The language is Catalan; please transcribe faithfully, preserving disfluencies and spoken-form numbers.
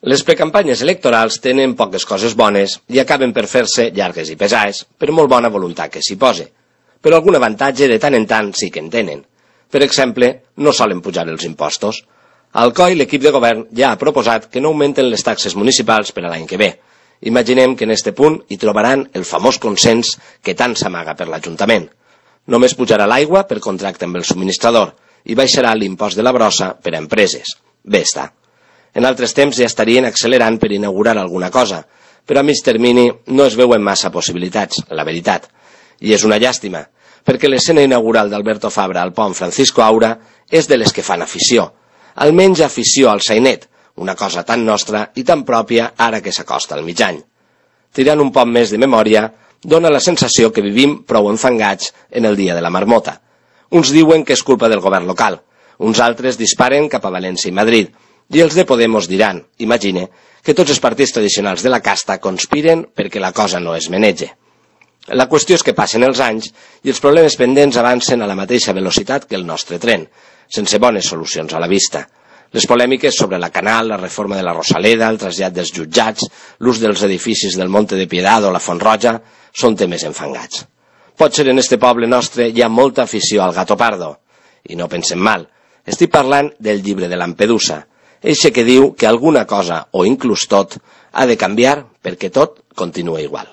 Les precampanyes electorals tenen poques coses bones i acaben per fer-se llargues i pesades, per molt bona voluntat que s'hi posi. Però algun avantatge de tant en tant sí que en tenen. Per exemple, no solen pujar els impostos. Al C O I l'equip de govern ja ha proposat que no augmenten les taxes municipals per a l'any que ve. Imaginem que en este punt hi trobaran el famós consens que tant s'amaga per l'Ajuntament. Només pujarà l'aigua per contracte amb el subministrador i baixarà l'impost de la brossa per a empreses. Bé està. En altres temps ja estarien accelerant per inaugurar alguna cosa, però a mig termini no es veuen massa possibilitats, la veritat. I és una llàstima, perquè l'escena inaugural d'Alberto Fabra al pont Francisco Aura és de les que fan afició. Almenys afició al sainet, una cosa tan nostra i tan pròpia ara que s'acosta al mig any. Tirant un poc més de memòria, dona la sensació que vivim prou enfangats en el dia de la marmota. Uns diuen que és culpa del govern local, uns altres disparen cap a València i Madrid, i els de Podemos diran, imagine, que tots els partits tradicionals de la casta conspiren perquè la cosa no es menege. La qüestió és que passen els anys i els problemes pendents avancen a la mateixa velocitat que el nostre tren, sense bones solucions a la vista. Les polèmiques sobre la Canal, la reforma de la Rosaleda, el trasllat dels jutjats, l'ús dels edificis del Monte de Piedad o la Font Roja són temes enfangats. Potser en este poble nostre hi ha molta afició al gato pardo. I no pensem mal. Estic parlant del llibre de Lampedusa, eixe que diu que alguna cosa, o inclús tot, ha de canviar perquè tot continua igual.